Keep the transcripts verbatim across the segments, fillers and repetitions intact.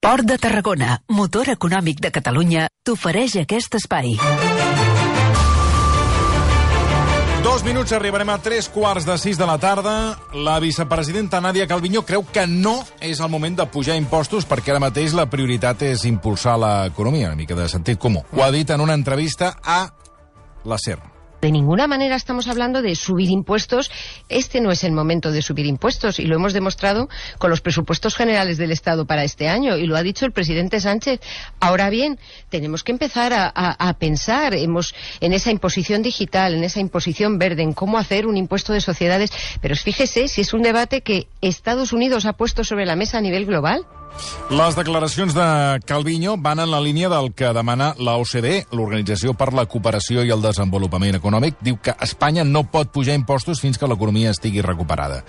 Port de Tarragona, motor econòmic de Catalunya, t'ofereix aquest espai. Dos minuts, arribarem a tres quarts de sis de la tarda. La vicepresidenta Nadia Calviño creu que no és el moment de pujar impostos perquè ara mateix la prioritat és impulsar l'economia, una mica de sentit comú. Ho ha dit en una entrevista a la SER. De ninguna manera estamos hablando de subir impuestos. Este no es el momento de subir impuestos y lo hemos demostrado con los presupuestos generales del Estado para este año y lo ha dicho el presidente Sánchez. Ahora bien, tenemos que empezar a, a, a pensar hemos, en esa imposición digital, en esa imposición verde, en cómo hacer un impuesto de sociedades. Pero fíjese si es un debate que Estados Unidos ha puesto sobre la mesa a nivel global. Les declaracions de Calviño van en la línia del que demana la O C D E, l'Organització per la Cooperació i el Desenvolupament Econòmic. Diu que Espanya no pot pujar impostos fins que l'economia estigui recuperada.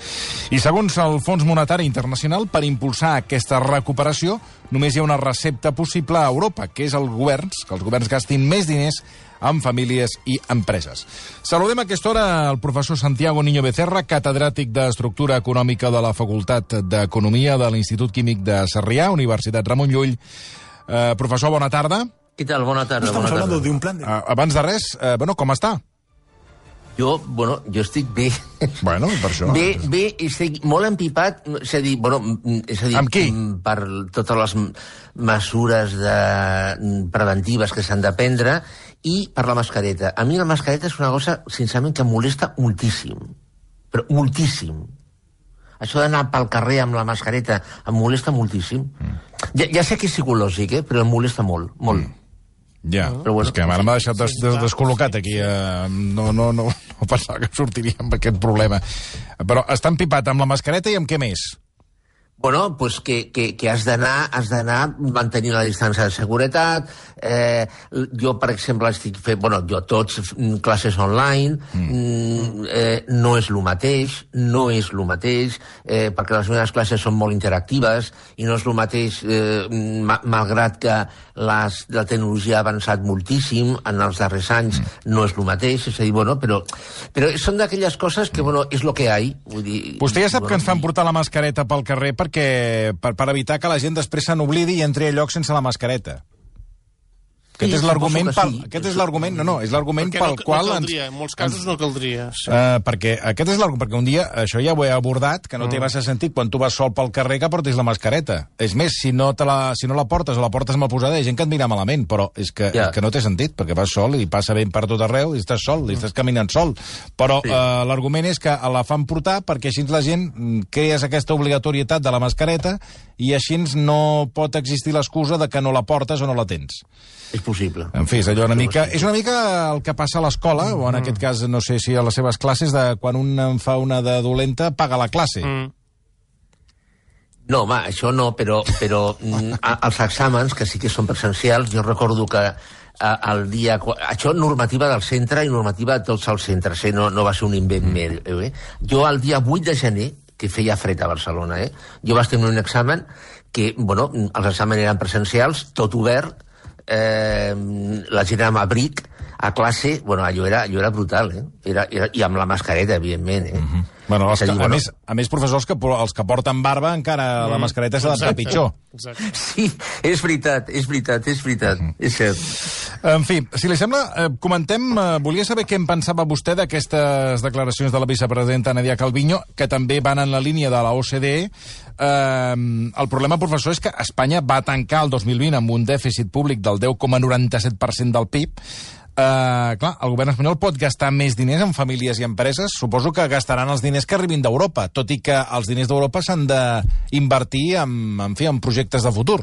I segons el Fons Monetari Internacional, per impulsar aquesta recuperació només hi ha una recepta possible a Europa, que és el governs, que els governs gastin més diners amb famílies i empreses. Saludem a aquesta hora el professor Santiago Niño Becerra, catedràtic d'Estructura Econòmica de la Facultat d'Economia de l'Institut Químic de Sarrià, Universitat Ramon Llull. Eh, professor, bona tarda. Què tal? Bona tarda. Estamos bona hablando tarda. de un plan de... Eh, abans de res, eh, bueno, com està? Jo, bueno, jo estic bé. Bueno, per això. Bé, bé, estic molt empipat, és a dir, bueno, és a dir, amb qui? Per totes les mesures de... preventives que s'han de prendre i per la mascareta. A mi la mascareta és una cosa, sincerament, que em molesta moltíssim. Però moltíssim. Això d'anar pel carrer amb la mascareta em molesta moltíssim. Mm. Ja, ja sé que és psicològic, eh? Però em molesta molt, molt. Mm. Ja, però bueno, és que ara m'ha deixat des, des, descol·locat aquí. Eh, no, no, no, no pensava que sortiria amb aquest problema. Però està empipat amb la mascareta i amb què més? Bueno, pues que, que, que has d'anar has d'anar mantenint la distància de seguretat. Eh, jo, per exemple, estic fent... Bueno, jo tots classes online. Mm. Eh, no és el mateix, no és el mateix, eh, perquè les meves classes són molt interactives i no és el mateix, eh, ma, malgrat que les, la tecnologia ha avançat moltíssim en els darrers anys, mm. no és el mateix. És a dir, bueno, però, però són d'aquelles coses que, bueno, és el que hi ha. Vull dir, Vostè ja sap bueno, que ens fan portar la mascareta pel carrer perquè, per, per evitar que la gent després se n'oblidi i entri a lloc sense la mascareta. Aquest sí, és l'argument sí. pel... Aquest és l'argument... No, no, és l'argument pel no, qual... No caldria, ens, en molts casos ens, no caldria. Sí. Uh, perquè aquest és l'argument... Perquè un dia, això ja ho he abordat, que no mm. té massa sentit quan tu vas sol pel carrer que portis la mascareta. És més, si no, te la, si no la portes o la portes mal posada, hi ha gent que et mira malament, però és que, yeah. que no té sentit, perquè vas sol i passa ben per tot arreu i estàs sol, mm. i estàs caminant sol. Però sí. uh, l'argument és que la fan portar perquè així la gent crees aquesta obligatorietat de la mascareta i així no pot existir l'excusa de que no la portes o no la tens. És possible. En fi, és allò una mica... És una mica el que passa a l'escola, o en aquest cas, no sé si a les seves classes, de quan un en fa una de dolenta, paga la classe. Mm. No, home, això no, però, però els exàmens, que sí que són presencials, jo recordo que el dia... Això normativa del centre i normativa de tots els centres, eh? no, no va ser un invent mm. meu. Eh? Jo el dia vuit de gener, que feia fred a Barcelona, eh? jo vaig tenir un examen que, bueno, els exàmens eren presencials, tot obert, eh, la gent amb abric a classe, bueno, allò era, allò era brutal, eh? Era, era, i amb la mascareta, evidentment, eh? Mm-hmm. Bueno, els que, a, dir, a, bueno... més, a més, professors, que, els que porten barba encara mm. la mascareta s'ha d'adaptar pitjor. Exacte. Sí, és veritat, és veritat, és veritat, mm. és cert. En fi, si li sembla, eh, comentem, eh, volia saber què en pensava vostè d'aquestes declaracions de la vicepresidenta Nadia Calviño, que també van en la línia de la O C D E. Eh, el problema, professor, és que Espanya va tancar el dos mil vint amb un dèficit públic del deu coma noranta-set per cent del P I B. Uh, clar, el govern espanyol pot gastar més diners en famílies i empreses. Suposo que gastaran els diners que arribin d'Europa, tot i que els diners d'Europa s'han d'invertir en, en, fi, en projectes de futur.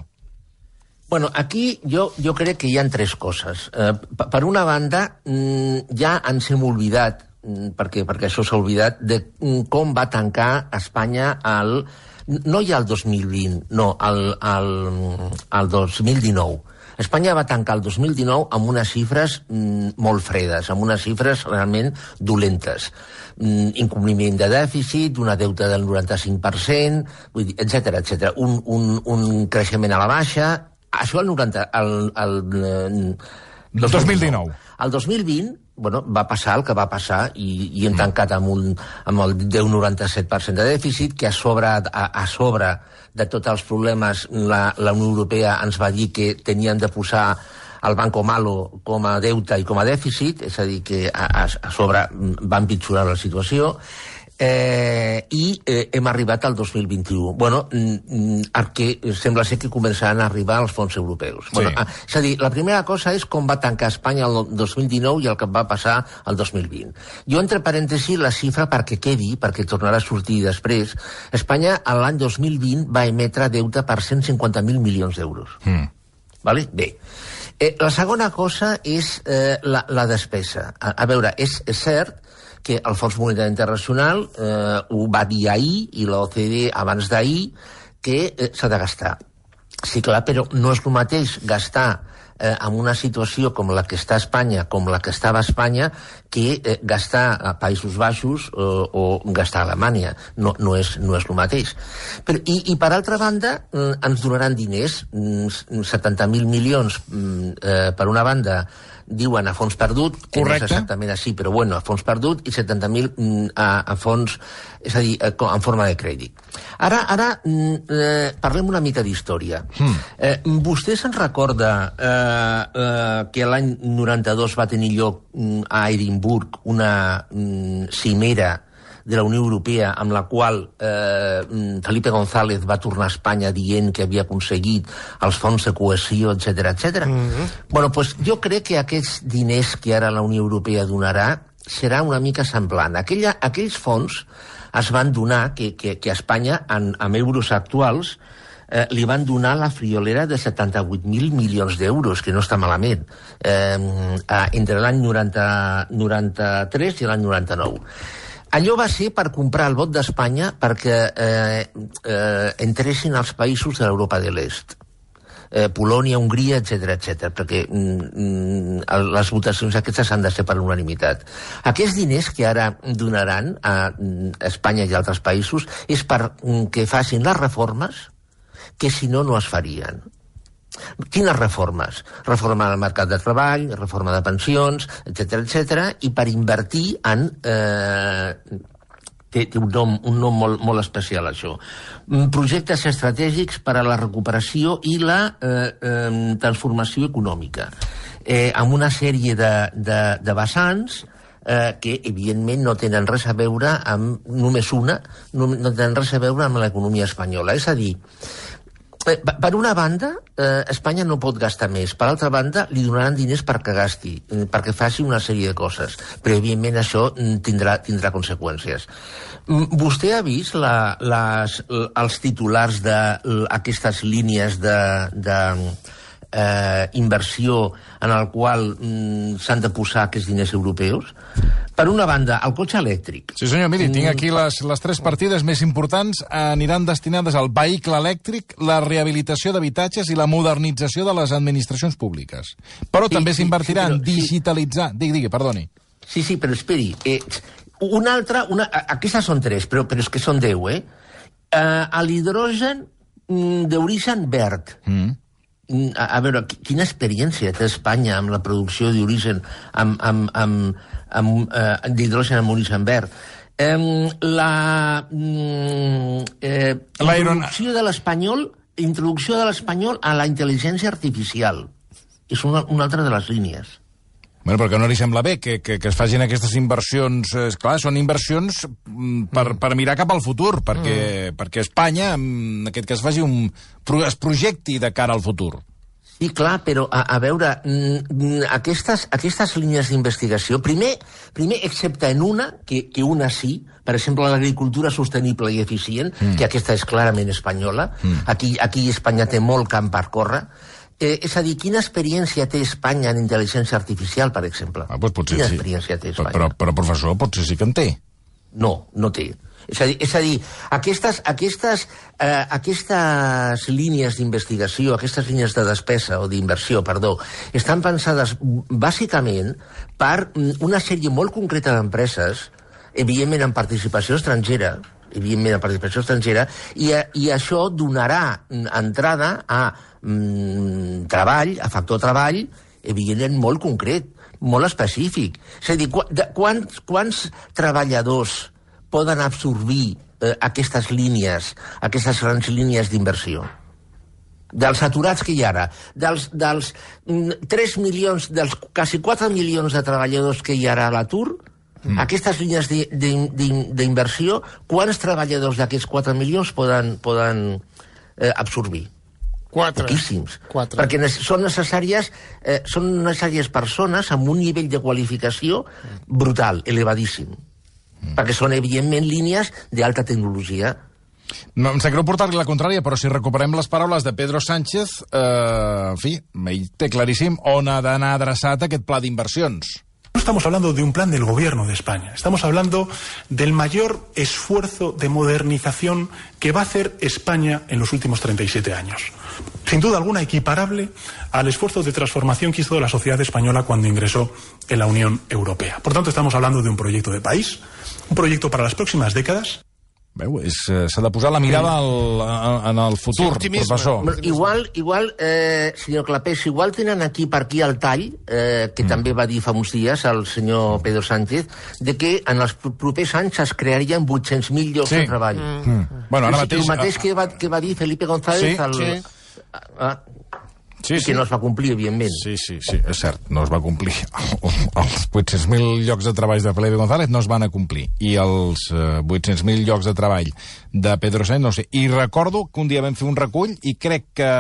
Bueno, aquí jo, jo crec que hi ha tres coses. Uh, per una banda, ja ens hem oblidat, perquè, perquè això s'ha oblidat, de com va tancar Espanya el... No ja el dos mil vint, no, el, el, el dos mil dinou. Espanya va tancar el dos mil dinou amb unes xifres mm, molt fredes, amb unes xifres realment dolentes. Mm, incompliment de dèficit, una deuta del noranta-cinc per cent, etcètera, etcètera. Un, un, un creixement a la baixa. Això el noranta... El, el, el, el dos mil dinou. El dos mil vint bueno, va passar el que va passar i, i hem tancat amb, un, amb el deu coma noranta-set per cent de dèficit, que a sobre, a, a sobre de tots els problemes la, la Unió Europea ens va dir que tenien de posar el Banco Malo com a deute i com a dèficit, és a dir, que a, a, a sobre va empitjorar la situació, eh, i eh, hem arribat al dos mil vint-i-u. Bueno, el que sembla ser que començaran a arribar els fons europeus. Sí. Bueno, és a dir, la primera cosa és com va tancar Espanya el dos mil dinou i el que va passar el dos mil vint. Jo, entre parèntesis, la xifra perquè quedi, perquè tornarà a sortir després, Espanya l'any dos mil vint va emetre deute per cent cinquanta mil milions d'euros. Mm. Vale? Bé. Eh, la segona cosa és eh, la, la despesa. A, a veure, és, és cert que el Fons Monetari Internacional eh, ho va dir ahir, i l'O C D E abans d'ahir, que eh, s'ha de gastar. Sí, clar, però no és el mateix gastar eh, en una situació com la que està a Espanya, com la que estava a Espanya, que eh, gastar a Països Baixos eh, o gastar a Alemanya. No, no, és, no és el mateix. Però, i, I per altra banda, eh, ens donaran diners, setanta mil milions eh, per una banda, diuen a fons perdut, que correcte, no és exactament així, però bueno, a fons perdut, i setanta mil a, a fons, és a dir, en forma de crèdit. Ara, ara eh, parlem una mica d'història. Mm. Eh, vostè se'n recorda eh, eh, que l'any noranta-dos va tenir lloc a Edimburg una mm, cimera de la Unió Europea, amb la qual eh, Felipe González va tornar a Espanya dient que havia aconseguit els fons de cohesió, etcètera, etcètera. Mm-hmm. Bueno, pues jo crec que aquests diners que ara la Unió Europea donarà serà una mica semblant. Aquella, aquells fons es van donar, que, que, que a Espanya, en, amb euros actuals, eh, li van donar la friolera de setanta-vuit mil milions d'euros, que no està malament, eh, entre l'any noranta-tres i l'any noranta-nou. Allò va ser per comprar el vot d'Espanya perquè eh, eh, entressin als països de l'Europa de l'Est. Eh, Polònia, Hongria, etcètera, etcètera, perquè mm, les votacions aquestes han de ser per unanimitat. Aquests diners que ara donaran a Espanya i altres països és per que facin les reformes que si no no es farien. Quines reformes? Reforma del mercat de treball, reforma de pensions, etcètera, etcètera, i per invertir en... Eh, té, té un nom, un nom molt, molt especial, això. Projectes estratègics per a la recuperació i la eh, eh, transformació econòmica, eh, amb una sèrie de, de, de vessants eh, que, evidentment, no tenen res a veure amb només una, no, no tenen res a veure amb l'economia espanyola. És a dir, per una banda, eh, Espanya no pot gastar més. Per altra banda, li donaran diners perquè gasti, perquè faci una sèrie de coses. Però, evidentment, això tindrà, tindrà conseqüències. Vostè ha vist la, les, els titulars d'aquestes línies de... de Eh, inversió en el qual mm, s'han de posar aquests diners europeus? Per una banda, el cotxe elèctric. Sí, senyor, miri, tinc aquí les, les tres partides més importants. Aniran destinades al vehicle elèctric, la rehabilitació d'habitatges i la modernització de les administracions públiques. Però sí, també s'invertirà sí, sí, en digitalitzar... Sí. Digui, digui, perdoni. Sí, sí, però esperi. Eh, una altra... Una... Aquestes són tres, però, però és que són deu, eh? eh l'hidrogen mm, d'origen verd. Mm. A, a veure, quina experiència té Espanya amb la producció d'origen amb, amb, amb, amb eh, d'hidrogen amb origen verd. Eh, la eh, introducció de l'espanyol introducció de l'espanyol a la intel·ligència artificial és una, una altra de les línies. Bueno, però que no li sembla bé que, que, que es facin aquestes inversions. És clar, són inversions per, per mirar cap al futur, perquè, mm. perquè Espanya, en aquest cas, faci un, es projecti de cara al futur. Sí, clar, però a, a veure, aquestes, aquestes línies d'investigació, primer, primer, excepte en una, que, que una sí, per exemple, l'agricultura sostenible i eficient, mm. que aquesta és clarament espanyola, mm. aquí, aquí Espanya té molt camp per córrer. Eh, és a dir, quina experiència té Espanya en intel·ligència artificial, per exemple? Ah, doncs potser quina sí. experiència té Espanya? Però, però, professor, potser sí que en té. No, no té. És a dir, és a dir aquestes, aquestes, eh, aquestes línies d'investigació, aquestes línies de despesa o d'inversió, perdó, estan pensades bàsicament per una sèrie molt concreta d'empreses, evidentment en participació estrangera, evidentment en participació estrangera, i, i això donarà entrada a mm, treball, a factor treball, evidentment molt concret, molt específic. És a dir, qu de, quants, quants treballadors poden absorbir eh, aquestes línies, aquestes grans línies d'inversió? Dels aturats que hi ha ara, dels, dels tres milions, dels quasi quatre milions de treballadors que hi ha ara a l'atur, mm. aquestes línies d'inversió, quants treballadors d'aquests quatre milions poden, poden eh, absorbir? Quatre. Poquíssims. Quatre. Perquè són necessàries, eh, són necessàries persones amb un nivell de qualificació brutal, elevadíssim. Mm. Perquè són, evidentment, línies d'alta tecnologia. No, em sap greu portar-li la contrària, però si recuperem les paraules de Pedro Sánchez, eh, en fi, ell té claríssim on ha d'anar adreçat aquest pla d'inversions. No estamos hablando de un plan del gobierno de España, estamos hablando del mayor esfuerzo de modernización que va a hacer España en los últimos treinta y siete años. Sin duda alguna equiparable al esfuerzo de transformación que hizo la sociedad española cuando ingresó en la Unión Europea. Por tanto, estamos hablando de un proyecto de país, un proyecto para las próximas décadas. Veu, s'ha de posar la mirada al, en el futur, sí, professor. Igual, igual eh, senyor Clapés, igual tenen aquí per aquí el tall, eh, que mm. també va dir fa uns dies el senyor Pedro Sánchez, de que en els propers anys es crearien vuit-cents mil llocs sí. de treball. Mm. Mm. Bueno, ara mateix... El mateix que va, que va dir Felipe González... Sí, el, sí. Ah, Sí, i sí. que no es va complir, evidentment. Sí, sí, sí, és cert, no es va complir. Els vuit-cents mil llocs de treball de Felipe González no es van a complir. I els eh, vuit-cents mil llocs de treball de Pedro Sánchez, no sé. I recordo que un dia vam fer un recull i crec que...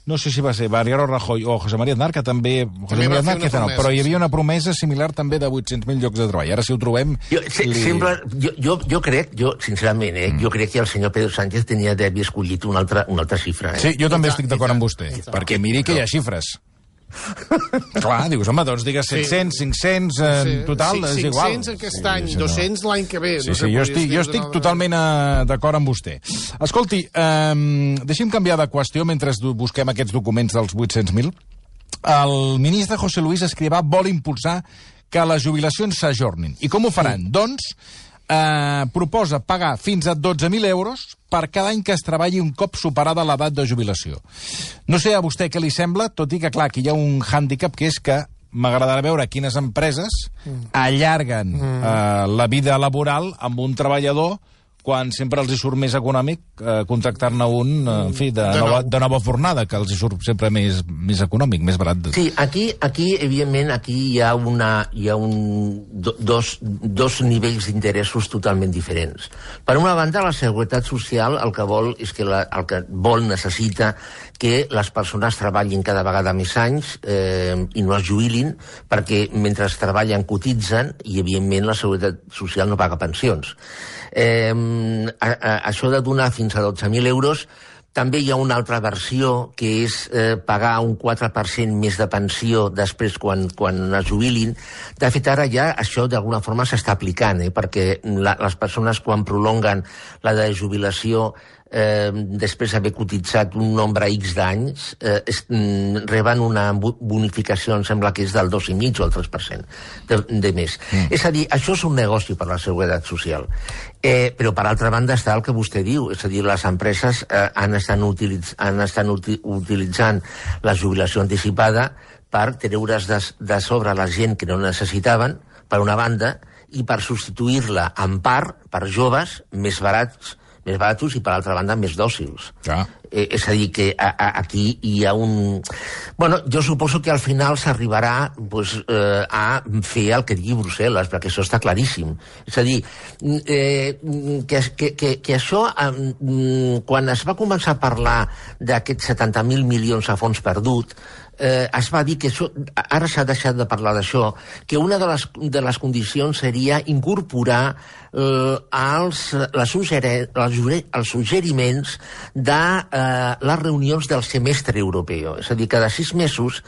No sé si va ser Mariano Rajoy o José María Aznar, que també... José María Aznar, que no, però hi havia una promesa similar també de vuit-cents mil llocs de treball. Ara, si ho trobem... Jo, se, li... sembla, jo, jo, jo crec, jo, sincerament, eh, mm. jo crec que el senyor Pedro Sánchez tenia d'haver escollit una altra, una altra xifra. Eh? Sí, jo també estic d'acord amb vostè, perquè miri que hi ha xifres. Clar, dius, home, doncs digues set-cents, cinc-cents, en sí. total, sí, és igual. cinc-cents aquest any, sí, dos-cents l'any que ve. Sí, no sí, jo estic, jo estic totalment uh, d'acord amb vostè. Escolti, um, deixi'm canviar de qüestió mentre busquem aquests documents dels vuit-cents mil. El ministre José Luis Escrivá vol impulsar que les jubilacions s'ajornin. I com ho faran? Sí. Doncs eh, proposa pagar fins a dotze mil euros per cada any que es treballi un cop superada l'edat de jubilació. No sé a vostè què li sembla, tot i que, clar, aquí hi ha un hàndicap, que és que m'agradarà veure quines empreses allarguen mm. eh, la vida laboral amb un treballador quan sempre els hi surt més econòmic eh, contractar-ne un, eh, en fi, de, de, nova, de nova fornada, que els hi surt sempre més, més econòmic, més barat. De... Sí, aquí, aquí, evidentment, aquí hi ha, una, hi ha un, do, dos, dos nivells d'interessos totalment diferents. Per una banda, la Seguretat Social el que vol és que la, el que vol, necessita que les persones treballin cada vegada més anys eh, i no es jubilin, perquè mentre treballen cotitzen i, evidentment, la Seguretat Social no paga pensions. Eh, a, a, això de donar fins a dotze mil euros, també hi ha una altra versió, que és eh, pagar un quatre per cent més de pensió després quan, quan es jubilin. De fet, ara ja això d'alguna forma s'està aplicant, eh, perquè la, les persones quan prolonguen la de jubilació eh, després d'haver cotitzat un nombre X d'anys, eh, mm, reben una bonificació, em sembla que és del dos i mig o el tres per cent de, de més. Mm. És a dir, això és un negoci per la Seguretat Social. Eh, però, per altra banda, està el que vostè diu, és a dir, les empreses eh, han estat, utilitz han estat uti utilitzant la jubilació anticipada per treure's de, de sobre la gent que no necessitaven, per una banda, i per substituir-la en part per joves més barats, més baratos i, per altra banda, més dòcils. Ja. Eh, és a dir, que a, a, aquí hi ha un... Bueno, jo suposo que al final s'arribarà pues, eh, a fer el que digui Brussel·les, perquè això està claríssim. És a dir, eh, que, que, que, que això, eh, quan es va començar a parlar d'aquests setanta mil milions a fons perdut, eh, es va dir que això, ara s'ha deixat de parlar d'això, que una de les, de les condicions seria incorporar eh, els, les suggere, les, els suggeriments de eh, les reunions del semestre europeu. És a dir, cada sis mesos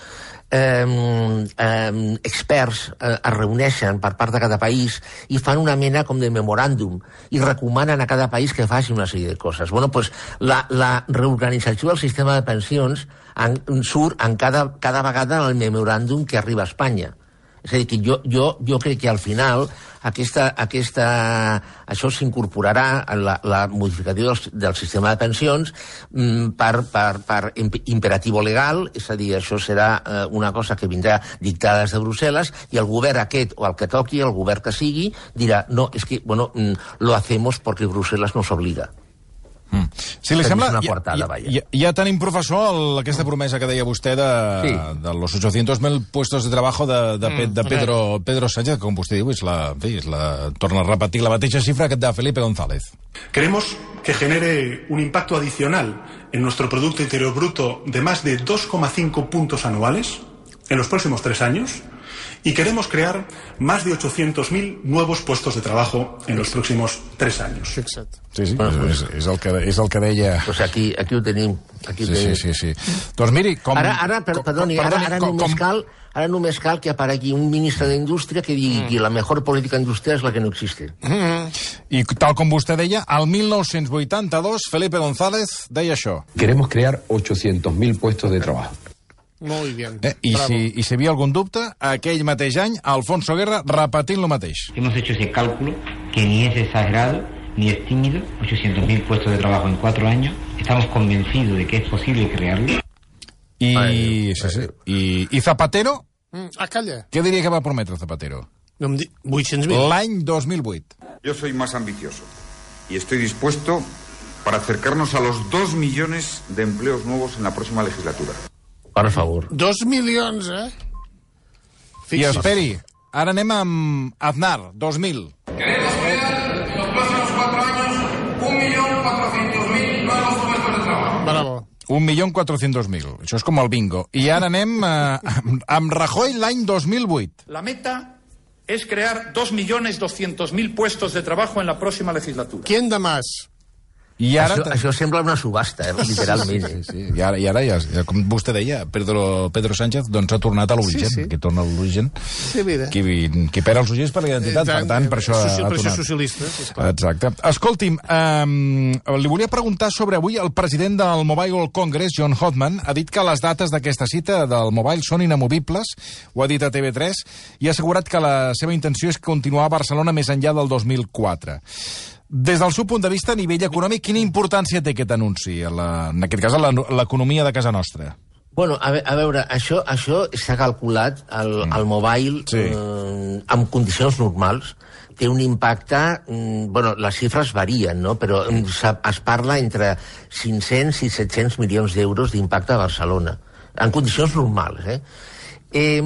Eh, eh, experts eh, es reuneixen per part de cada país i fan una mena com de memoràndum i recomanen a cada país que faci una sèrie de coses. Bueno, pues, la, la reorganització del sistema de pensions en, surt en cada, cada vegada en el memoràndum que arriba a Espanya. És a dir, que jo, jo, jo crec que al final aquesta, aquesta, això s'incorporarà a la, la modificació del, del sistema de pensions mm, per, per, per imperatiu legal, és a dir, això serà eh, una cosa que vindrà dictada des de Brussel·les, i el govern aquest, o el que toqui, el govern que sigui, dirà, no, és que, bueno, mm, lo hacemos porque Brussel·les nos obliga. Mm. Si li sembla, una ja, quartada, ja, ja, ja tenim, professor, el, aquesta promesa que deia vostè de, sí. de los ochocientos mil puestos de trabajo de, de, mm, de Pedro, Pedro Sánchez, que, com vostè diu, és la, és la, torna a repetir la mateixa xifra que de Felipe González. Queremos que genere un impacto adicional en nuestro Producto Interior Bruto de más de dos coma cinco puntos anuales en los próximos tres años, y queremos crear más de ochocientos mil nuevos puestos de trabajo en los próximos tres años. Fixa't. Sí, sí, bueno, és, és, el que, és el que deia... Pues aquí, aquí ho tenim. Aquí ho sí, tenim. sí, sí, sí. Doncs miri, com... Ara, ara, per, perdoni, com, ara, ara, com, només com... cal, ara només cal que aparegui un ministre d'Indústria que digui mm. que la mejor política industrial és la que no existe. Mm. I tal com vostè deia, al mil nou-cents vuitanta-dos, Felipe González deia això. Queremos crear ochocientos mil puestos de trabajo. Muy bien. Eh, I, si, I si hi havia algun dubte, aquell mateix any, Alfonso Guerra repetint lo mateix. Hemos hecho ese cálculo que ni es exagerado ni es tímido, ochocientos mil puestos de trabajo en cuatro años. Estamos convencidos de que es posible crearlo. I, ai, sí, sí. I, i Zapatero? Mm, ah, calla. Què diria que va prometre Zapatero? No em di... vuit-cents mil. L'any dos mil vuit. Yo soy más ambicioso y estoy dispuesto para acercarnos a los dos millones de empleos nuevos en la próxima legislatura. Per favor. Dos milions, eh? I esperi, ara anem amb Aznar, dos mil. Queremos crear en los próximos cuatro años un millón cuatrocientos mil nuevos puestos de trabajo. Bravo. Un milió quatre-cents mil. Això és com el bingo. I ara anem eh, amb, amb Rajoy l'any dos mil vuit. La meta es crear dos millones doscientos mil puestos de trabajo en la próxima legislatura. ¿Quién da más? I ara... Això, això sembla una subhasta, eh, literalment. Sí, sí, sí. I ara, i ara ja, ja, com vostè deia, Pedro, Pedro Sánchez doncs ha tornat a l'origen, sí, sí. que torna a l'origen. Sí, mira. Qui, qui perd els ulls per la identitat, Exacte. Per tant, per això Soci, ha per tornat. socialista, sí, esclar. Exacte. Escolti'm, um, li volia preguntar sobre avui el president del Mobile World Congress, John Hoffman, ha dit que les dates d'aquesta cita del Mobile són inamovibles, ho ha dit a T V tres, i ha assegurat que la seva intenció és continuar a Barcelona més enllà del dos mil quatre. Des del seu punt de vista, a nivell econòmic, quina importància té aquest anunci, a la, en aquest cas, a l'economia de casa nostra? Bueno, a, ve, a veure, això, això s'ha calculat, el, mm. el mobile, sí. eh, en condicions normals, té un impacte... Mm, bueno, les xifres varien, no?, però mm. es parla entre cinc-cents i set-cents milions d'euros d'impacte a Barcelona, en condicions normals, eh? Eh,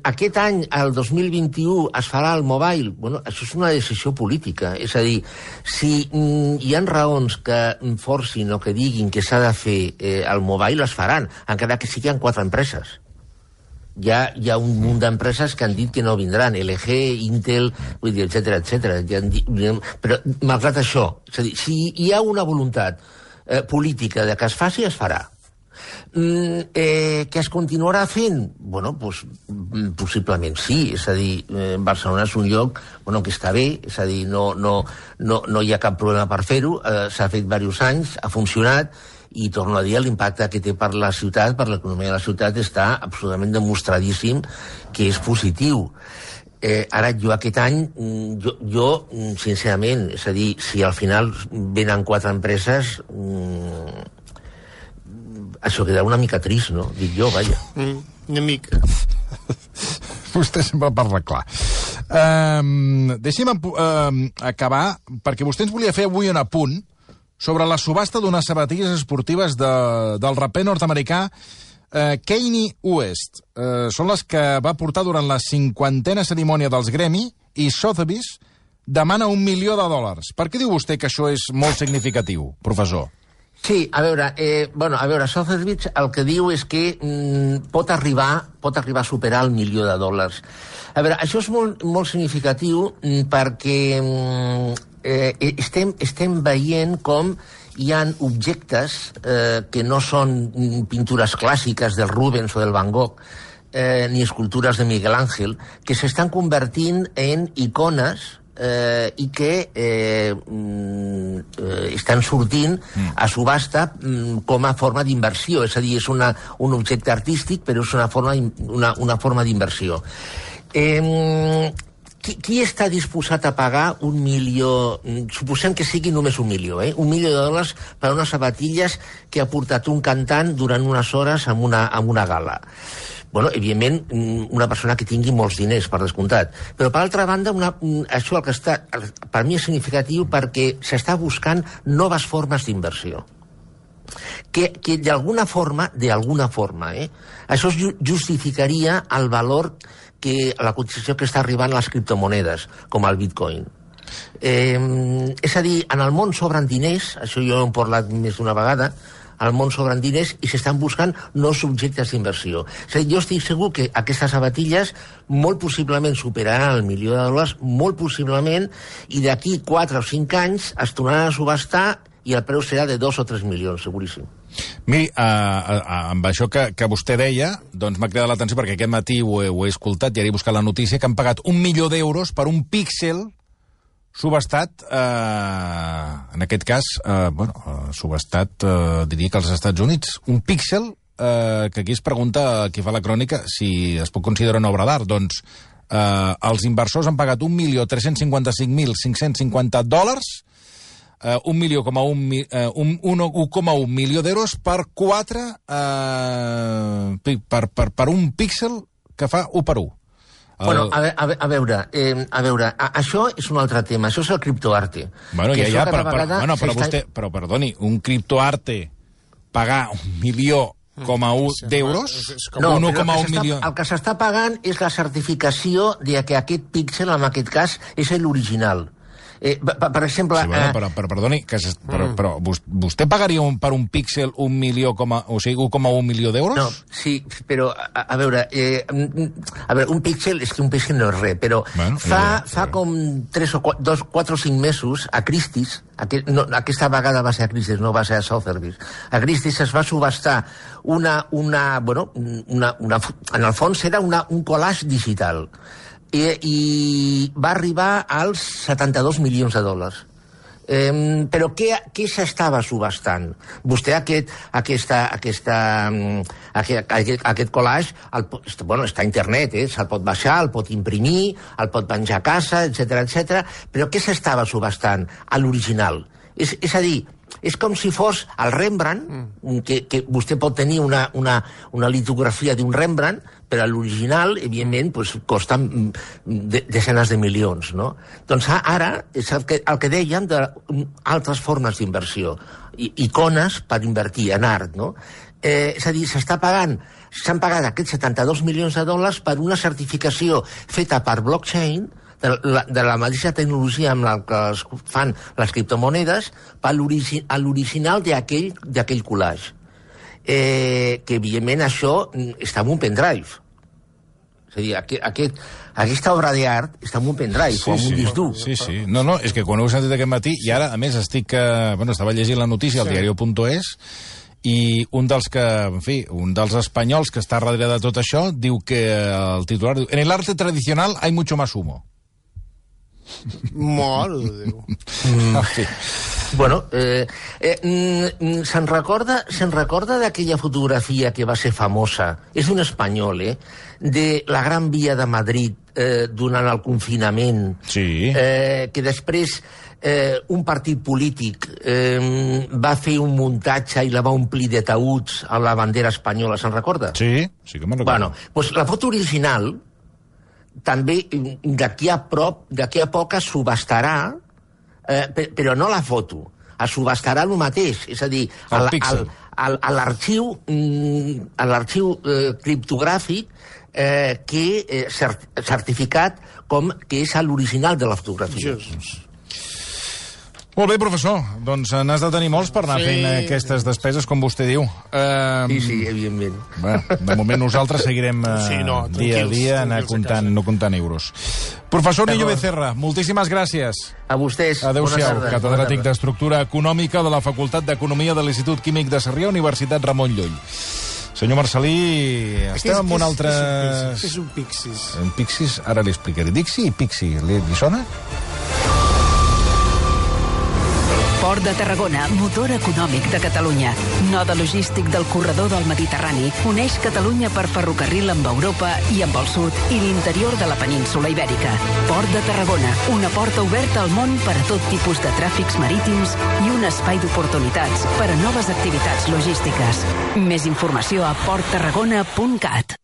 aquest any, el dos mil vint-i-u, es farà el mobile. Bueno, això és una decisió política. És a dir, si mm, hi ha raons que forcin o que diguin que s'ha de fer eh, el mobile, es faran, encara que siguin quatre empreses. Hi ha, hi ha un munt d'empreses que han dit que no vindran, L G, Intel, vull dir, etcètera, etcètera. Però, malgrat això, és a dir, si hi ha una voluntat eh, política de que es faci, es farà. Mm, eh, que es continuarà fent? Bueno, pues, possiblement sí, és a dir, eh, Barcelona és un lloc bueno, que està bé, és a dir, no, no, no, no hi ha cap problema per fer-ho, eh, s'ha fet diversos anys, ha funcionat, i torno a dir, l'impacte que té per la ciutat, per l'economia de la ciutat, està absolutament demostradíssim que és positiu. Eh, ara, jo aquest any, jo, jo, sincerament, és a dir, si al final venen quatre empreses... Mm, això quedarà una mica trist, no? Dic jo, vaja. Mm, una mica. Vostè sempre parla clar. Um, deixi'm um, acabar, perquè vostè ens volia fer avui un apunt sobre la subhasta d'unes sabatilles esportives de, del raper nord-americà uh, Kanye West. Uh, són les que va portar durant la cinquantena cerimònia dels Grammy, i Sotheby's demana un milió de dòlars. Per què diu vostè que això és molt significatiu, professor? Sí, a veure, eh, bueno, a veure, Sotheby's el que diu és que mm, pot arribar pot arribar a superar el milió de dòlars. A veure, això és molt, molt significatiu mm, perquè mm, eh, estem, estem veient com hi ha objectes eh, que no són pintures clàssiques del Rubens o del Van Gogh, eh, ni escultures de Miguel Ángel, que s'estan convertint en icones eh, i que eh, eh, estan sortint mm. a subhasta mm, com a forma d'inversió. És a dir, és una, un objecte artístic, però és una forma, una, una forma d'inversió. Eh, qui, qui està disposat a pagar un milió, suposem que sigui només un milió, eh? un milió de dòlars per a unes sabatilles que ha portat un cantant durant unes hores amb una, amb una gala? Bueno, evidentment, una persona que tingui molts diners, per descomptat. Però, per altra banda, una, això el que està, per mi és significatiu perquè s'està buscant noves formes d'inversió. Que, que d'alguna forma, d'alguna forma, eh, això justificaria el valor que la cotització que està arribant a les criptomonedes, com el Bitcoin. Eh, és a dir, en el món sobren diners, això jo he parlat més d'una vegada, al món sobren diners i s'estan buscant nous subjectes d'inversió. És a dir, jo estic segur que aquestes sabatilles molt possiblement superaran el milió de dòlars, molt possiblement, i d'aquí quatre o cinc anys es tornaran a subhastar i el preu serà de dos o tres milions, seguríssim. Miri, uh, uh, amb això que, que vostè deia, doncs m'ha cridat l'atenció perquè aquest matí ho he, ho he escoltat i ara he buscat la notícia, que han pagat un milió d'euros per un píxel subhastat, eh, en aquest cas, eh, bueno, eh, subhastat, eh, diria que als Estats Units. Un píxel eh, que aquí es pregunta, qui fa la crònica, si es pot considerar una obra d'art. Doncs eh, els inversors han pagat un milió tres-cents cinquanta-cinc mil cinc-cents cinquanta dòlars, eh, un milió coma un, eh, un, un, un coma un milió d'euros per quatre, eh, per, per, per un píxel que fa u per u. Bueno, a, a, a veure, eh, a veure, a, això és un altre tema, això és el criptoarte. Bueno, ja, ja, però, però, bueno, però vostè, però perdoni, un criptoarte pagar un milió coma un d'euros, no, un coma un milió... El que s'està pagant és la certificació de que aquest píxel, en aquest cas, és l'original. Eh, per, per exemple... Sí, bueno, eh... però, però, perdoni, que es, però, però vostè pagaria un, per un píxel un milió, coma, o sigui, un coma un milió d'euros? No, sí, però, a, a veure, eh, a veure, un píxel, és que un píxel no és res, però bueno, fa, ja, fa com tres o quatre, dos, quatre o cinc mesos, a Christie's, aquest, no, aquesta vegada va ser a Christie's, no va ser a Sotheby's, a Christie's es va subhastar una, una, bueno, una, una, en el fons era una, un collage digital, I, i va arribar als setanta-dos milions de dòlars. Eh, però què, què s'estava subhastant? Vostè aquest, aquesta, aquesta, aquest, aquest, aquest collage el, bueno, està a internet, eh? Se'l pot baixar, el pot imprimir, el pot penjar a casa, etcètera, etcètera. Però què s'estava subhastant? A l'original. És, és a dir, és com si fos el Rembrandt, que, que vostè pot tenir una, una, una litografia d'un Rembrandt, però l'original, evidentment, pues, costa de, desenes de milions, no? Doncs ara és el que, el que dèiem d'altres formes d'inversió, icones per invertir en art, no? Eh, és a dir, s'està pagant, s'han pagat aquests setanta-dos milions de dòlars per una certificació feta per blockchain, de la, de la mateixa tecnologia amb la que es fan les criptomonedes, per l'original d'aquell collage. Eh, que evidentment això està en un pendrive. És a dir, aquest, aquest, aquesta obra d'art està en un pendrive, sí, o en un disc dur. Sí, sí. No, no, és que quan ho he sentit aquest matí, i ara, a més, estic... Eh, bueno, estava llegint la notícia al sí. diario punto es, i un dels que, en fi, un dels espanyols que està darrere de tot això, diu que el titular diu, en el arte tradicional hay mucho más humo. Mare de Déu. Mm. Sí. Bueno, eh, eh, se'n recorda, se'n recorda d'aquella fotografia que va ser famosa, és un espanyol, eh, de la Gran Via de Madrid eh, durant el confinament, sí. eh, que després eh, un partit polític eh, va fer un muntatge i la va omplir de taüts a la bandera espanyola, se'n recorda? Sí, sí que me'n recordo. Bueno, doncs la foto original també d'aquí a prop, d'aquí a poc es subhastarà, eh, però no la foto, es subhastarà el mateix, és a dir, l'arxiu l'arxiu eh, criptogràfic eh, que eh, cert, certificat com que és l'original de la fotografia. Jesus. Molt bé, professor. Doncs n'has de tenir molts per anar sí. fent aquestes despeses, com vostè diu. Uh, sí, sí, evidentment. Bé, de moment nosaltres seguirem uh, sí, no, dia a dia anar comptant, no comptant euros. Professor Nillo Becerra, moltíssimes gràcies. A vostès. Adéu-siau, catedràtic d'Estructura Econòmica de la Facultat d'Economia de l'Institut Químic de Sarrià, Universitat Ramon Llull. Senyor Marcelí, estem en un altre... Què és un pixis? Un pixis, ara li explicaré. Dixi i pixi, li, li sona? Port de Tarragona, motor econòmic de Catalunya. Node logístic del corredor del Mediterrani, uneix Catalunya per ferrocarril amb Europa i amb el sud i l'interior de la península Ibèrica. Port de Tarragona, una porta oberta al món per a tot tipus de tràfics marítims i un espai d'oportunitats per a noves activitats logístiques. Més informació a port tarragona punt cat.